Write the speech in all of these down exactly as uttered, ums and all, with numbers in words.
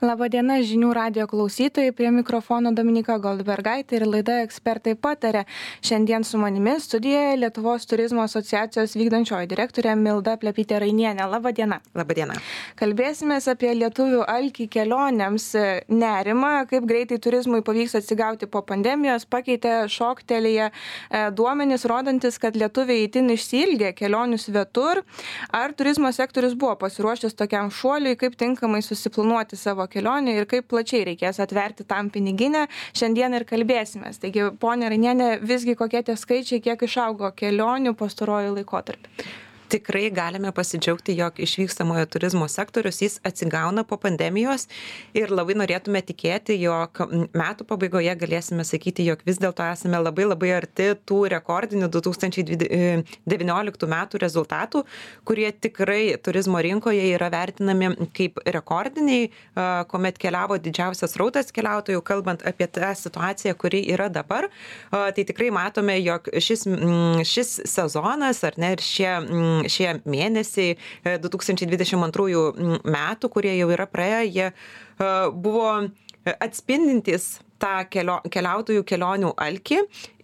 Labadiena žinių radijo klausytojai, prie mikrofono Dominika Goldbergaitė ir laida Ekspertai pataria. Šiandien su manimi studijoje Lietuvos turizmo asociacijos vykdančioji direktorė Milda Plepytė-Rainienė. Labadiena. Labadiena. Kalbėsimės apie lietuvių alkį kelionėms nerimą, kaip greitai turizmui pavyks atsigauti po pandemijos, pakeitė šoktelėje duomenys rodantis, kad lietuviai itin išsiilgė kelionių svetur. Ar turizmo sektorius buvo pasiruošęs tokiam šuoliui, kaip tinkamai susiplanuoti savo kelionę ir kaip plačiai reikės atverti tam piniginę, šiandien ir kalbėsimės. Taigi, ponia Rainienė, visgi kokie tie skaičiai, kiek išaugo kelionių pastaruoju laikotarpiu? Tikrai galime pasidžiaugti, jog išvykstamojo turizmo sektorius jis atsigauna po pandemijos ir labai norėtume tikėti, jog metų pabaigoje galėsime sakyti, jog vis dėlto esame labai labai arti tų rekordinių du tūkstančiai devynioliktų metų rezultatų, kurie tikrai turizmo rinkoje yra vertinami kaip rekordiniai, kuomet keliavo didžiausias srautas keliautojų, kalbant apie tą situaciją, kuri yra dabar. Tai tikrai matome, jog šis, šis sezonas ar ne, ir šie šie mėnesiai du tūkstančiai dvidešimt antrųjų metų, kurie jau yra praėję, jie buvo atspindintys tą kelio, keliautojų kelionių alkį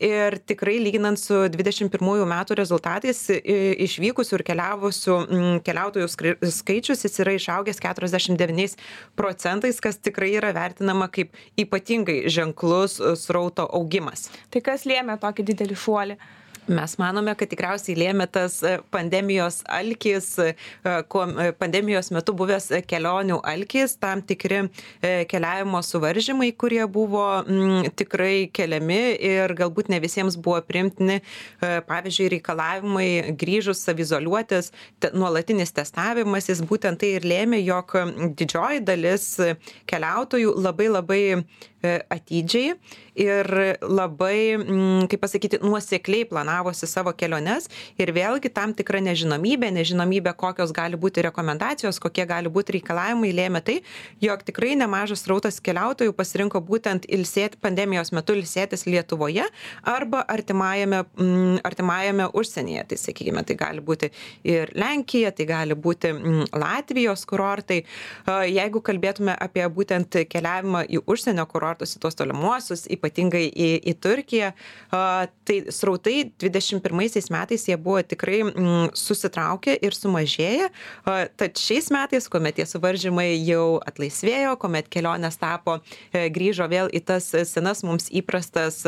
ir tikrai lyginant su dvidešimt pirmųjų metų rezultatais išvykusių ir keliavusių keliautojų skaičius jis yra išaugęs keturiasdešimt devyniais procentais, kas tikrai yra vertinama kaip ypatingai ženklus srauto augimas. Tai kas lėmė tokį didelį šuolį? Mes manome, kad tikriausiai lėmė tas pandemijos alkis, pandemijos metu buvęs kelionių alkis, tam tikri keliavimo suvaržymai, kurie buvo m, tikrai keliami ir galbūt ne visiems buvo priimtini, pavyzdžiui, reikalavimai grįžus savizoliuotis, te, nuolatinis testavimas, jis būtent tai ir lėmė, jog didžioji dalis keliautojų labai labai atidžiai ir labai, kaip pasakyti, nuosekliai planavosi savo keliones ir vėlgi tam tikra nežinomybė, nežinomybė, kokios gali būti rekomendacijos, kokie gali būti reikalavimai, lėmė tai, jog tikrai nemažas srautas keliautojų pasirinko būtent ilsėti pandemijos metu ilsėtis Lietuvoje arba artimajame, artimajame užsienyje. Tai sakykime, tai gali būti ir Lenkija, tai gali būti Latvijos kurortai. Jeigu kalbėtume apie būtent keliavimą į užsienio kurortus, į tuos tolimuosius, ypatingai į, į Turkiją, tai srautai dvidešimt pirmaisiais metais jie buvo tikrai mm, susitraukę ir sumažėję, tad šiais metais, kuomet tie suvaržymai jau atlaisvėjo, kuomet kelionės tapo, grįžo vėl į tas senas mums įprastas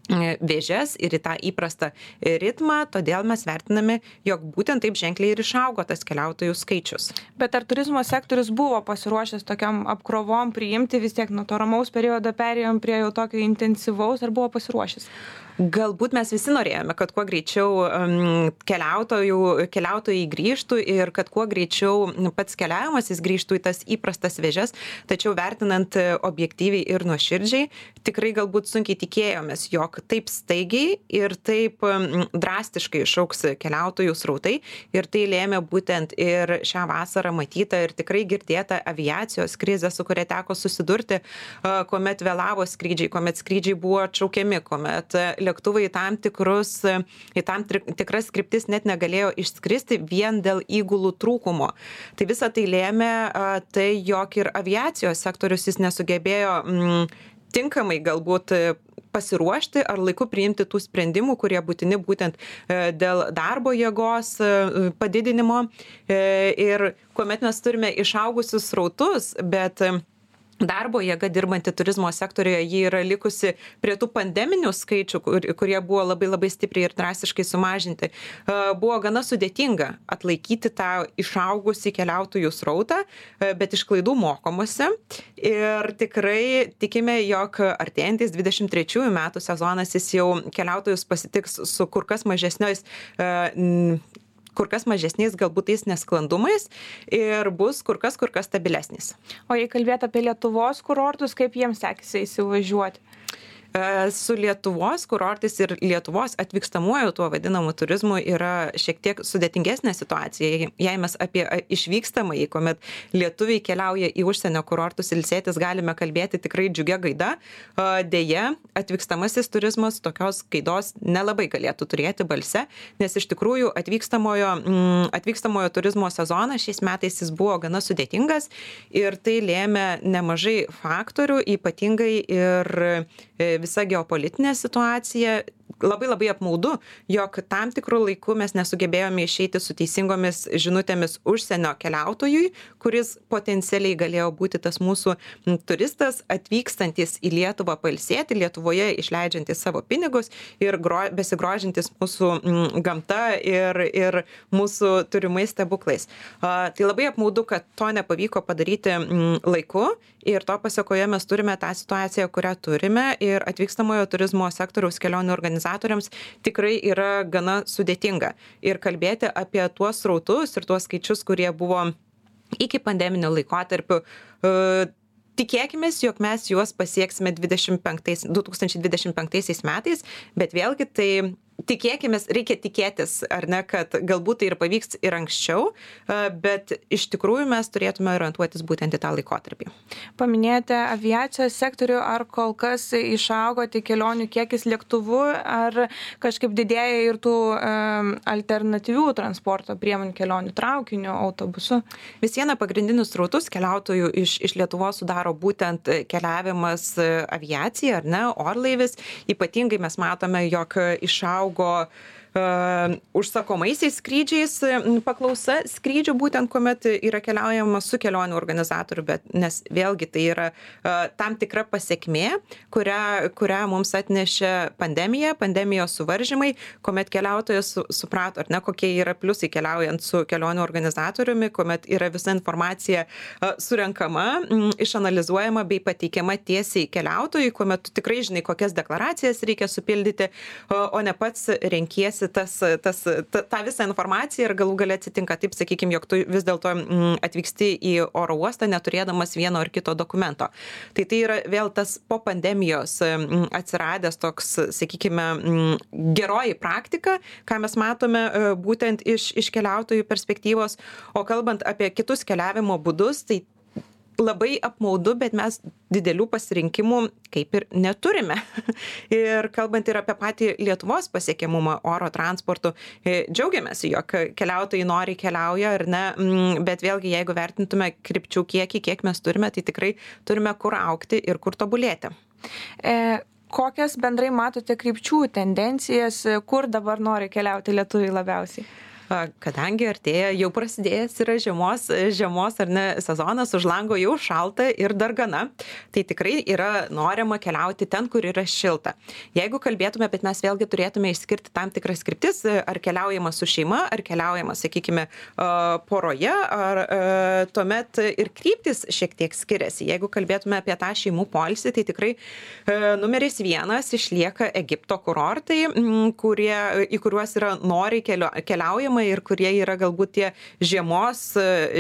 vėžes ir į tą įprastą ritmą, todėl mes vertiname, jog būtent taip ženkliai ir išaugo tas keliautojų skaičius. Bet ar turizmo sektorius buvo pasiruošęs tokiam apkrovom priimti, vis tiek nuo to ramaus periodo perėjom prie jau tokio intensyvaus, ar buvo pasiruošęs? Galbūt mes visi norėjome, kad kuo greičiau um, keliautojų, keliautojai grįžtų ir kad kuo greičiau pats keliavimas jis grįžtų į tas įprastas vėžes, tačiau vertinant objektyviai ir nuoširdžiai, tikrai galbūt sunkiai tikėjomės, jog taip staigiai ir taip um, drastiškai išaugs keliautojų srautai ir tai lėmė būtent ir šią vasarą matytą ir tikrai girdėtą aviacijos krizę, su kuria teko susidurti, uh, kuomet vėlavo skrydžiai, kuomet skrydžiai buvo atšaukiami, kuomet lėktuvai į tam tikrus, į tam tikras kryptis net negalėjo išskristi vien dėl įgulų trūkumo. Tai visą tai lėmė tai, jog ir aviacijos sektorius jis nesugebėjo m, tinkamai galbūt pasiruošti ar laiku priimti tų sprendimų, kurie būtini būtent dėl darbo jėgos padidinimo ir kuomet mes turime išaugusius srautus, bet darbo jėga dirbanti turizmo sektorijoje, ji yra likusi prie tų pandeminių skaičių, kur, kurie buvo labai labai stipriai ir drastiškai sumažinti. Buvo gana sudėtinga atlaikyti tą išaugusį keliautojų srautą, bet iš klaidų mokomasi. Ir tikrai tikime, jog artėjantis dvidešimt trečiųjų metų sezonas jis jau keliautojus pasitiks su kur kas mažesniais kur kas mažesniais galbūt tais nesklandumais ir bus kur kas kur kas stabilesnis. O jei kalbėt apie Lietuvos kurortus, kaip jiems sekėsi įsivažiuoti? Su Lietuvos kurortais ir Lietuvos atvykstamuoju tuo vadinamu turizmu yra šiek tiek sudėtingesnė situacija. Jei mes apie išvykstamąjį, kuomet lietuviai keliauja į užsienio kurortus ilsėtis, galime kalbėti tikrai džiugia gaida. Deja, atvykstamasis turizmas tokios gaidos nelabai galėtų turėti balse, nes iš tikrųjų atvykstamojo, atvykstamojo turizmo sezonas šiais metais jis buvo gana sudėtingas ir tai lėmė nemažai faktorių, ypatingai ir visa geopolitinė situacija. Labai labai apmaudu, jog tam tikrų laikų mes nesugebėjome išeiti su teisingomis žinutėmis užsienio keliautojui, kuris potencialiai galėjo būti tas mūsų turistas atvykstantis į Lietuvą pailsėti, Lietuvoje išleidžiantis savo pinigus ir gro, besigrožintis mūsų gamta ir, ir mūsų turimais stebuklais. A, tai labai apmaudu, kad to nepavyko padaryti laiku ir to pasekoje mes turime tą situaciją, kurią turime ir atvykstamojo turizmo sektoriaus kelionių organizatoriams tikrai yra gana sudėtinga. Ir kalbėti apie tuos srautus ir tuos skaičius, kurie buvo iki pandeminio laikotarpiu, tikėkime, jog mes juos pasieksime dvidešimt penktais, du tūkstančiai dvidešimt penktaisiais metais, bet vėlgi tai tikėkime, reikia tikėtis, ar ne, kad galbūt tai ir pavyks ir anksčiau, bet iš tikrųjų mes turėtume orientuotis būtent į tą laikotarpį. Paminėjote aviacijos sektorių, ar kol kas išaugo tik kelionių kiekis lėktuvu, ar kažkaip didėja ir tų um, alternatyvių transporto priemonių kelionių traukiniu, autobusu? Vis viena pagrindinius srautus keliautojų iš, iš Lietuvos sudaro būtent keliavimas aviacija, ar ne, orlaivis. Ypatingai mes matome, jog išaugo augo uh, užsakomaisiais skrydžiais paklausa skrydžių, būtent kuomet yra keliaujama su kelionių organizatoriu, bet nes vėlgi tai yra uh, tam tikra pasekmė, kurią, kurią mums atnešė pandemija, pandemijos suvaržymai, kuomet keliautojas su, suprato, ar ne, kokie yra pliusai keliaujant su kelionių organizatoriumi, kuomet yra visa informacija uh, surenkama, m, išanalizuojama bei pateikiama tiesiai keliautojui, kuomet tu tikrai žinai, kokias deklaracijas reikia supildyti, uh, o ne pats renkiesi tas, tas, ta, tą visą informaciją ir galų gale atsitinka taip, sakykime, jog tu vis dėlto atvyksti į oro uostą neturėdamas vieno ar kito dokumento. Tai tai yra vėl tas po pandemijos atsiradęs toks, sakykime, geroji praktika, ką mes matome būtent iš, iš keliautojų perspektyvos. O kalbant apie kitus keliavimo būdus, tai labai apmaudu, bet mes didelių pasirinkimų kaip ir neturime. Ir kalbant ir apie patį Lietuvos pasiekiamumą oro transportu, džiaugiamės, jog keliautojai nori keliauja ar ne, bet vėlgi, jeigu vertintume krypčių kiekį, kiek mes turime, tai tikrai turime kur augti ir kur tobulėti. E... Kokias bendrai matote krypčių tendencijas, kur dabar nori keliauti lietuviai labiausiai? Kadangi artėja, jau prasidėjęs yra žiemos, žiemos ar ne sezonas, už lango jau šalta ir dargana, tai tikrai yra norima keliauti ten, kur yra šilta. Jeigu kalbėtume, bet mes vėlgi turėtume išskirti tam tikras kryptis, ar keliaujama su šeima, ar keliaujama, sakykime, poroje, ar tuomet ir kryptis šiek tiek skiriasi. Jeigu kalbėtume apie tą šeimų poilsį, tai tikrai numeris vienas išlieka Egipto kurortai, kurie, į kuriuos yra noriai keliaujama ir kurie yra galbūt tie žiemos,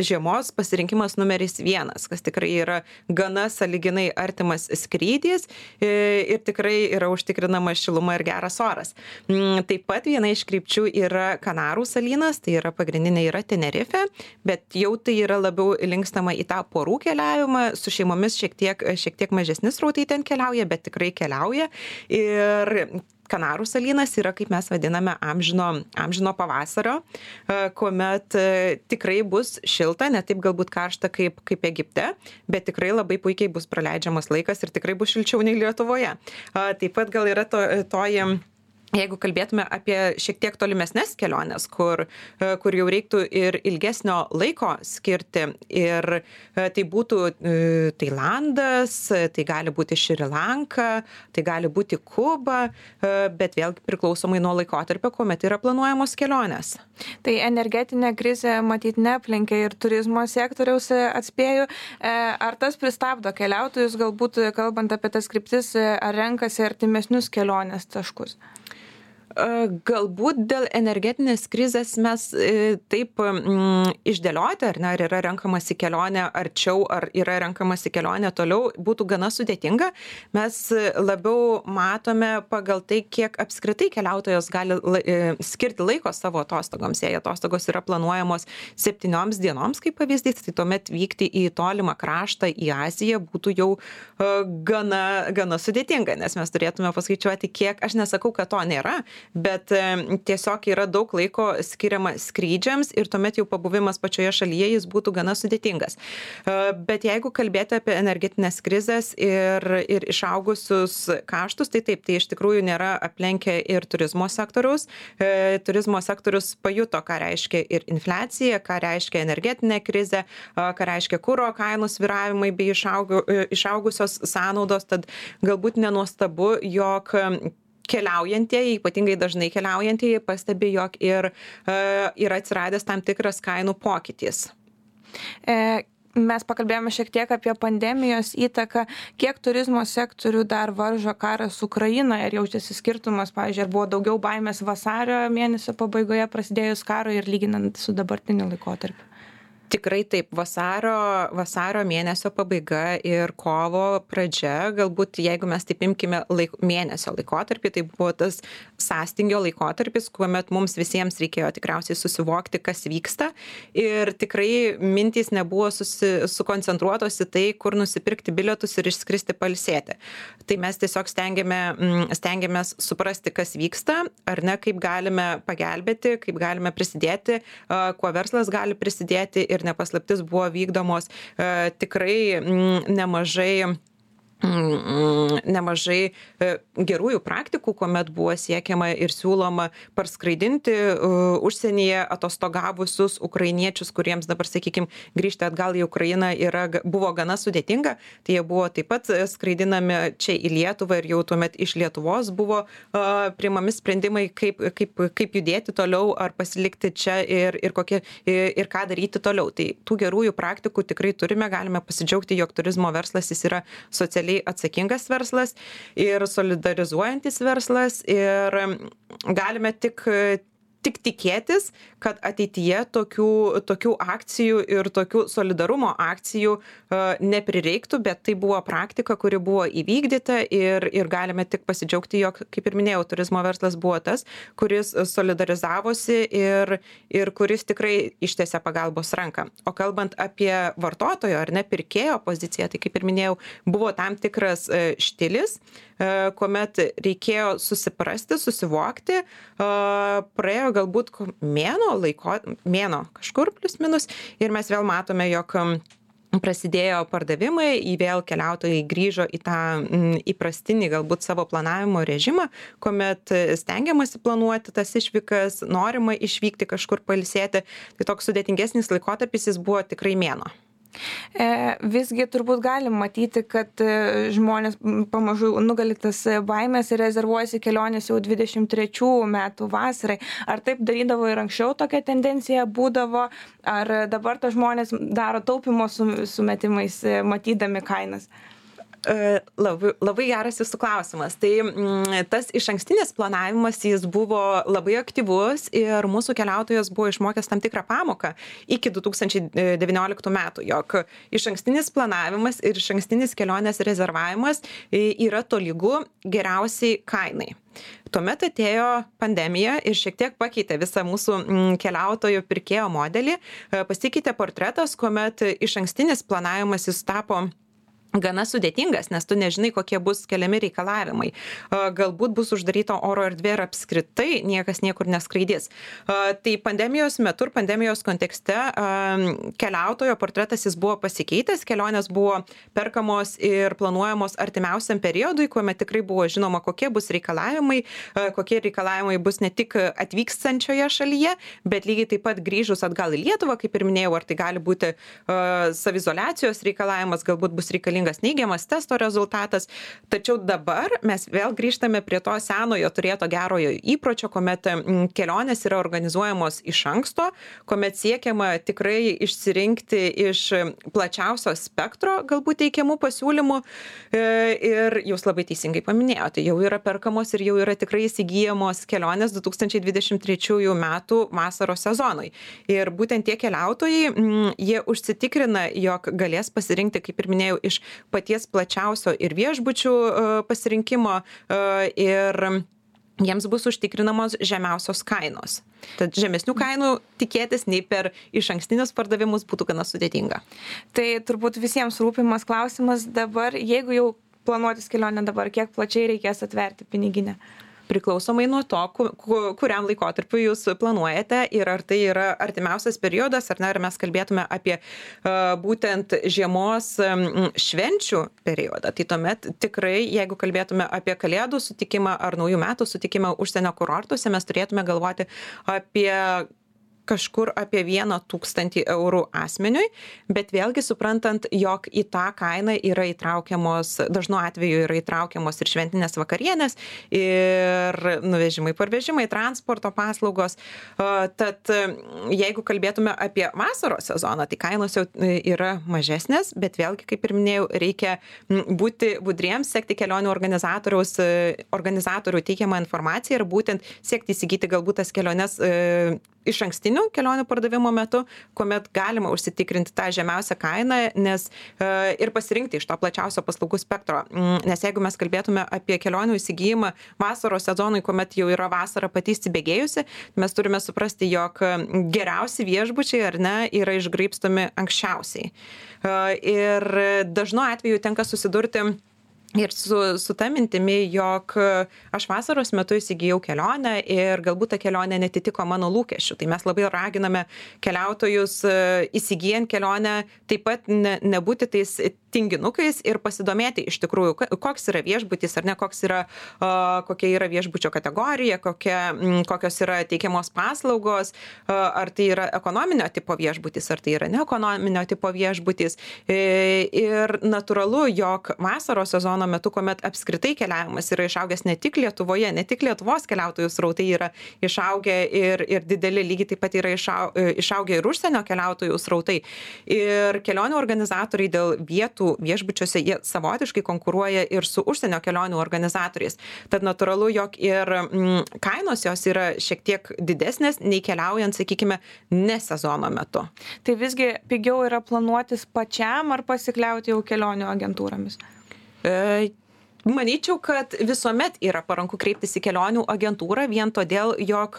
žiemos pasirinkimas numeris vienas, kas tikrai yra gana sąlyginai artimas skrydis ir tikrai yra užtikrinama šiluma ir geras oras. Taip pat viena iš krypčių yra Kanarų salynas, tai yra pagrindinė yra Tenerife, bet jau tai yra labiau linkstama į tą porų keliavimą, su šeimomis šiek tiek, šiek tiek mažesnis srautai ten keliauja, bet tikrai keliauja. Ir Kanarų salynas yra, kaip mes vadiname, amžino, amžino pavasario, kuomet tikrai bus šilta, ne taip galbūt karšta kaip, kaip Egipte, bet tikrai labai puikiai bus praleidžiamas laikas ir tikrai bus šilčiau nei Lietuvoje. Taip pat gal yra to, toji Jeigu kalbėtume apie šiek tiek tolimesnes keliones, kur, kur jau reiktų ir ilgesnio laiko skirti, ir tai būtų Tailandas, tai gali būti Šri Lanka, tai gali būti Kuba, bet vėlgi priklausomai nuo laikotarpio, kuomet yra planuojamos kelionės. Tai energetinė krizė matyt neaplenkė ir turizmo sektoriaus, atspėju. Ar tas pristabdo keliautojus, galbūt kalbant apie tas kryptis, ar renkasi artimesnius kelionės taškus? Galbūt dėl energetinės krizės mes taip mm, išdėlioti, ar ne, ar yra renkamasi kelionė arčiau, ar yra renkamasi kelionė toliau, būtų gana sudėtinga. Mes labiau matome pagal tai, kiek apskritai keliautojas gali la, skirti laiko savo atostogoms. Jei atostogos yra planuojamos septynioms dienoms, kaip pavyzdys, tai tuomet vykti į tolimą kraštą, į Aziją būtų jau uh, gana, gana sudėtinga, nes mes turėtume paskaičiuoti, kiek, aš nesakau, kad to nėra, bet tiesiog yra daug laiko skiriama skrydžiams ir tuomet jau pabuvimas pačioje šalyje jis būtų gana sudėtingas. Bet jeigu kalbėti apie energetinės krizės ir, ir išaugusius kaštus, tai taip, tai iš tikrųjų nėra aplenkę ir turizmo sektoriaus. Turizmo sektorius pajuto, ką reiškia ir infliacija, ką reiškia energetinė krizė, ką reiškia kuro kainų svyravimai bei išaugu, išaugusios sąnaudos, tad galbūt nenuostabu, jog keliaujantieji, ypatingai dažnai keliaujantieji, pastebi, jog ir e, yra atsiradęs tam tikras kainų pokytis. E, mes pakalbėjome šiek tiek apie pandemijos įtaką, kiek turizmo sektorių dar varžo karas Ukrainoje ir jaučiasi skirtumas, pavyzdžiui, ar buvo daugiau baimės vasario mėnesio pabaigoje prasidėjus karo ir lyginant su dabartiniu laikotarpiu. Tikrai taip, vasario, vasario mėnesio pabaiga ir kovo pradžia, galbūt jeigu mes taip imkime laik, mėnesio laikotarpį, tai buvo tas sąstingio laikotarpis, kuomet mums visiems reikėjo tikriausiai susivokti, kas vyksta ir tikrai mintys nebuvo susi, sukoncentruotos į tai, kur nusipirkti bilietus ir išskristi pailsėti. Tai mes tiesiog stengiame, stengiamės suprasti, kas vyksta, ar ne, kaip galime pagelbėti, kaip galime prisidėti, kuo verslas gali prisidėti. Ir nepaslaptis buvo vykdomos e, tikrai m, nemažai nemažai gerųjų praktikų, kuomet buvo siekiama ir siūloma parskraidinti užsienyje atostogavusius ukrainiečius, kuriems dabar, sakykime, grįžti atgal į Ukrainą yra, buvo gana sudėtinga. Tai jie buvo taip pat skraidinami čia į Lietuvą ir jau tuomet iš Lietuvos buvo uh, priimami sprendimai, kaip, kaip, kaip judėti toliau ar pasilikti čia ir, ir, kokie, ir, ir ką daryti toliau. Tai tų gerųjų praktikų tikrai turime, galime pasidžiaugti, jog turizmo verslas jis yra socialiai atsakingas verslas ir solidarizuojantis verslas ir galime tik tik tikėtis, kad ateityje tokių, tokių akcijų ir tokių solidarumo akcijų uh, neprireiktų, bet tai buvo praktika, kuri buvo įvykdyta ir, ir galime tik pasidžiaugti, jog, kaip ir minėjau, turizmo verslas buvo tas, kuris solidarizavosi ir, ir kuris tikrai ištiesė pagalbos ranką. O kalbant apie vartotojo ar ne pirkėjo poziciją, tai kaip ir minėjau, buvo tam tikras uh, štilis, uh, kuomet reikėjo susiprasti, susivokti, uh, praėjo galbūt mėno laiko, mėno kažkur plius minus ir mes vėl matome, jog prasidėjo pardavimai, į vėl keliautojai grįžo į tą įprastinį galbūt savo planavimo režimą, kuomet stengiamasi planuoti tas išvykas, norima išvykti kažkur pailsėti. Tai toks sudėtingesnis laikotarpis jis buvo tikrai mėno. Visgi turbūt galim matyti, kad žmonės pamažu nugali tas baimės ir rezervuojasi kelionės jau dvidešimt trečių metų vasarai. Ar taip darydavo ir anksčiau tokia tendencija būdavo, ar dabar tas žmonės daro taupimo sumetimais, matydami kainas? Labai, labai geras jūsų klausimas. Tai m, tas išankstinis planavimas, jis buvo labai aktyvus ir mūsų keliautojas buvo išmokęs tam tikrą pamoką iki du tūkstančiai devynioliktų metų, jog išankstinis planavimas ir išankstinis kelionės rezervavimas yra tolygu geriausiai kainai. Tuomet atėjo pandemija ir šiek tiek pakeitė visą mūsų keliautojo pirkėjo modelį. Pasikeitė portretas, kuomet išankstinis planavimas jis tapo gana sudėtingas, nes tu nežinai, kokie bus keliami reikalavimai. Galbūt bus uždaryta oro erdvė ir apskritai niekas niekur neskraidys. Tai pandemijos metu ir pandemijos kontekste keliautojo portretas jis buvo pasikeitęs, kelionės buvo perkamos ir planuojamos artimiausiam periodui, kuomet tikrai buvo žinoma, kokie bus reikalavimai, kokie reikalavimai bus ne tik atvykstančioje šalyje, bet lygiai taip pat grįžus atgal į Lietuvą, kaip ir minėjau, ar tai gali būti savizoliacijos reikalavimas, galbūt bus reikalinga sėkmingas neigiamas testo rezultatas. Tačiau dabar mes vėl grįžtame prie to senojo turėto gerojo įpročio, kuomet kelionės yra organizuojamos iš anksto, kuomet siekiama tikrai išsirinkti iš plačiausio spektro galbūt teikiamų pasiūlymų. Ir jūs labai teisingai paminėjote, jau yra perkamos ir jau yra tikrai įsigyjamos kelionės du tūkstančiai dvidešimt trečiųjų metų vasaros sezonui. Ir būtent tie keliautojai, jie užsitikrina, jog galės pasirinkti, kaip ir minėjau, iš paties plačiausio ir viešbučių pasirinkimo ir jiems bus užtikrinamos žemiausios kainos. Tad žemesnių kainų tikėtis nei per išankstinius pardavimus būtų gana sudėtinga. Tai turbūt visiems rūpimas klausimas dabar, jeigu jau planuotis kelionę dabar, kiek plačiai reikės atverti piniginę? Priklausomai nuo to, kuriam laikotarpiu jūs planuojate ir ar tai yra artimiausias periodas, ar ne, ar mes kalbėtume apie uh, būtent žiemos um, švenčių periodą. Tai tuomet tikrai, jeigu kalbėtume apie kalėdų sutikimą ar naujų metų sutikimą užsienio kurortuose, mes turėtume galvoti apie kažkur apie vieną tūkstantį eurų asmeniui, bet vėlgi suprantant, jog į tą kainą yra įtraukiamos, dažnu atveju yra įtraukiamos ir šventinės vakarienės, ir nuvežimai, parvežimai, transporto paslaugos. Tad jeigu kalbėtume apie vasaros sezoną, tai kainos jau yra mažesnės, bet vėlgi, kaip ir minėjau, reikia būti budriems, sekti kelionių organizatoriaus, organizatorių teikiamą informaciją ir būtent siekti įsigyti galbūt tas keliones iš ankstinių kelionių pardavimo metu, kuomet galima užsitikrinti tą žemiausią kainą, nes e, ir pasirinkti iš to plačiausio paslaugų spektro. Nes jeigu mes kalbėtume apie kelionių įsigijimą vasaros sezonui, kuomet jau yra vasara pati įsibėgėjusi, mes turime suprasti, jog geriausi viešbučiai ar ne yra išgraibstomi anksčiausiai. E, ir dažnu atveju tenka susidurti ir su, su ta mintimi, jog aš vasaros metu įsigijau kelionę ir galbūt ta kelionė netitiko mano lūkesčių. Tai mes labai raginame keliautojus įsigijant kelionę taip pat ne, nebūti tais tinginukais ir pasidomėti iš tikrųjų, koks yra viešbutis ar ne, koks yra, kokia yra viešbučio kategorija, kokia, kokios yra teikiamos paslaugos, ar tai yra ekonominio tipo viešbutis, ar tai yra neekonominio tipo viešbutis. Ir natūralu, jog vasaros sezono metu, kuomet apskritai keliavimas yra išaugęs ne tik Lietuvoje, ne tik Lietuvos keliautojų srautai yra išaugę ir, ir dideli, lygiai taip pat yra išaugę ir užsienio keliautojų srautai. Ir kelionių organizatoriai dėl vietų viešbučiuose, jie savotiškai konkuruoja ir su užsienio kelionių organizatoriais. Tad natūralu, jog ir mm, kainos jos yra šiek tiek didesnės nei keliaujant, sakykime, ne sezono metu. Tai visgi pigiau yra planuotis pačiam ar pasikliauti jau kelionių agentūromis? E, Manyčiau, kad visuomet yra paranku kreiptis į kelionių agentūrą vien todėl, jog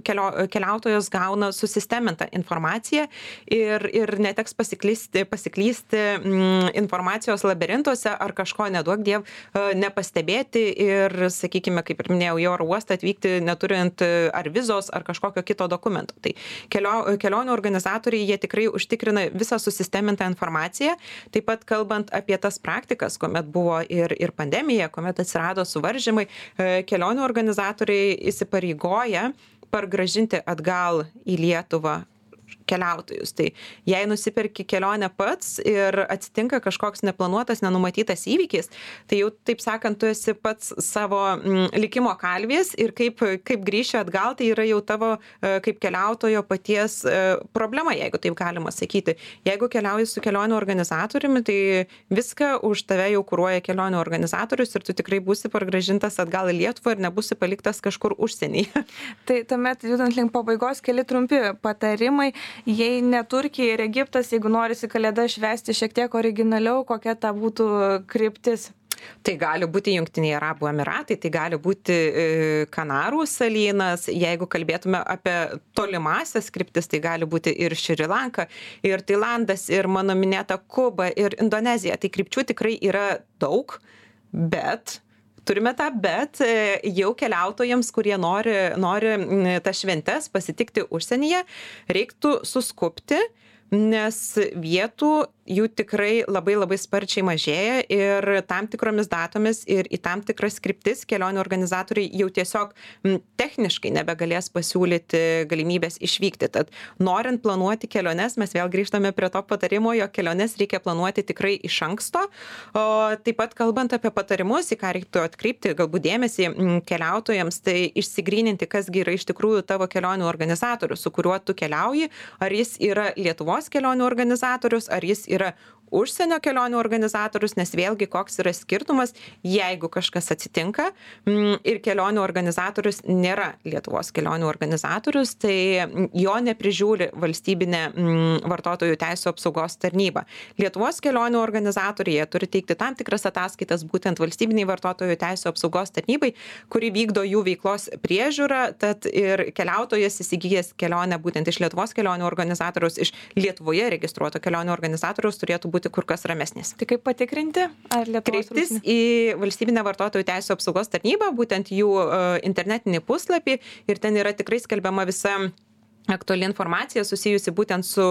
kelio, keliautojas gauna susistemintą informaciją ir, ir neteks pasiklysti, pasiklysti mm, informacijos labirintuose ar kažko neduok diev nepastebėti ir, sakykime, kaip ir minėjau, į oro uostą atvykti neturint ar vizos ar kažkokio kito dokumento. Tai kelio, kelionių organizatoriai, jie tikrai užtikrina visą susistemintą informaciją. Taip pat kalbant apie tas praktikas, kuomet buvo ir, ir pandemija, kuomet atsirado suvaržymai, kelionių organizatoriai įsipareigoja pargrąžinti atgal į Lietuvą keliautojus. Tai jei nusiperki kelionę pats ir atsitinka kažkoks neplanuotas, nenumatytas įvykis, tai jau, taip sakant, tu esi pats savo mm, likimo kalvės ir kaip, kaip grįši atgal, tai yra jau tavo e, kaip keliautojo paties e, problema, jeigu taip galima sakyti. Jeigu keliauji su kelionių organizatoriumi, tai viską už tave jau kuruoja kelionių organizatorius ir tu tikrai būsi pargrąžintas atgal į Lietuvą ir nebūsi paliktas kažkur užsienyje. Tai tuomet, judant link pabaigos, keli trumpi patarimai. Jei ne Turkija ir Egiptas, jeigu norisi kalėdas švęsti šiek tiek originaliau, kokia ta būtų kryptis? Tai gali būti Jungtiniai Arabų Emiratai, tai gali būti Kanarų salynas, jeigu kalbėtume apie tolimasias kryptis, tai gali būti ir Šri Lanka, ir Tailandas, ir mano minėta Kuba, ir Indonezija. Tai krypčių tikrai yra daug, bet turime tą bet jau keliautojams, kurie nori, nori tas šventes pasitikti užsienyje, reiktų suskubti, nes vietų jų tikrai labai labai sparčiai mažėja ir tam tikromis datomis ir į tam tikras kryptis kelionių organizatoriai jau tiesiog m, techniškai nebegalės pasiūlyti galimybės išvykti. Tad norint planuoti keliones, mes vėl grįžtame prie to patarimo, jog keliones reikia planuoti tikrai iš anksto. O taip pat kalbant apie patarimus, į ką reiktų atkreipti galbūt dėmesį m, keliautojams, tai išsigryninti, kasgi yra iš tikrųjų tavo kelionių organizatorius, su kuriuo tu keliauji, ar jis yra Lietuvos kelionių organizatorius, ar jis yra užsienio kelionių organizatorius, nes vėlgi koks yra skirtumas, jeigu kažkas atsitinka ir kelionių organizatorius nėra Lietuvos kelionių organizatorius, tai jo neprižiūri valstybinė vartotojų teisų apsaugos tarnyba. Lietuvos kelionių organizatoriai turi teikti tam tikras ataskaitas būtent valstybiniai vartotojų teisų apsaugos tarnybai, kuri vykdo jų veiklos priežiūrą, tad ir keliautojas įsigijęs kelionę būtent iš Lietuvos kelionių organizatoriaus, iš Lietuvoje registruoto kelionių organizatoriaus turėtų būti kur kas ramesnis. Tai kaip patikrinti, ar Lietuvos kreiptis į valstybinę vartotojų teisų apsaugos tarnybą, būtent jų uh, internetinį puslapį ir ten yra tikrai skelbiama visa aktuali informacija susijusi būtent su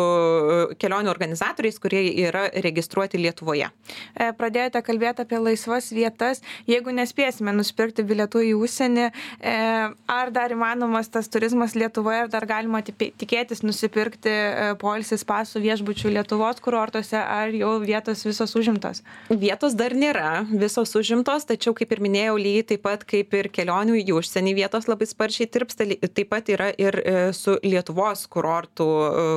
kelionių organizatoriais, kurie yra registruoti Lietuvoje. Pradėjote kalbėti apie laisvas vietas. Jeigu nespėsime nusipirkti bilietų į užsienį, ar dar įmanomas tas turizmas Lietuvoje, ar dar galima tikėtis nusipirkti poilsis pasų viešbučių Lietuvos kurortuose, ar jau vietos visos užimtos? Vietos dar nėra visos užimtos, tačiau, kaip ir minėjau, lygiai taip pat kaip ir kelionių į užsienį vietos labai sparčiai tirpsta, taip pat yra ir su Lietuvos Lietuvos kurortų,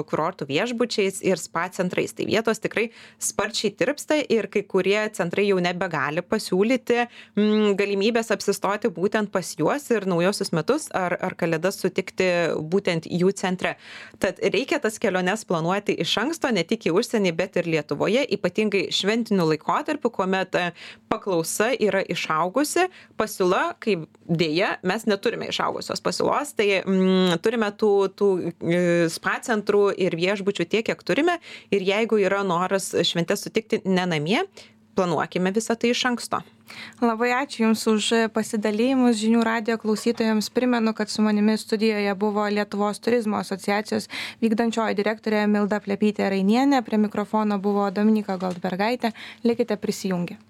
kurortų viešbučiais ir spa centrais. Tai vietos tikrai sparčiai tirpsta ir kai kurie centrai jau nebegali pasiūlyti m, galimybės apsistoti būtent pas juos ir naujosius metus ar, ar kalėdas sutikti būtent jų centre. Tad reikia tas keliones planuoti iš anksto, ne tik į užsienį, bet ir Lietuvoje, ypatingai šventiniu laikotarpiu, kuomet paklausa yra išaugusi, pasiūla, kaip dėja, mes neturime išaugusios pasiūlos, tai m, turime tų, tų spa centrų ir viešbučių tiek, kiek turime. Ir jeigu yra noras šventės sutikti ne namie, planuokime visą tai iš anksto. Labai ačiū Jums už pasidalymus. Žinių radijo klausytojams primenu, kad su manimi studijoje buvo Lietuvos turizmo asociacijos vykdančioji direktorė Milda Plepytė Rainienė. Prie mikrofono buvo Dominyka Goldbergaitė. Likite prisijungę.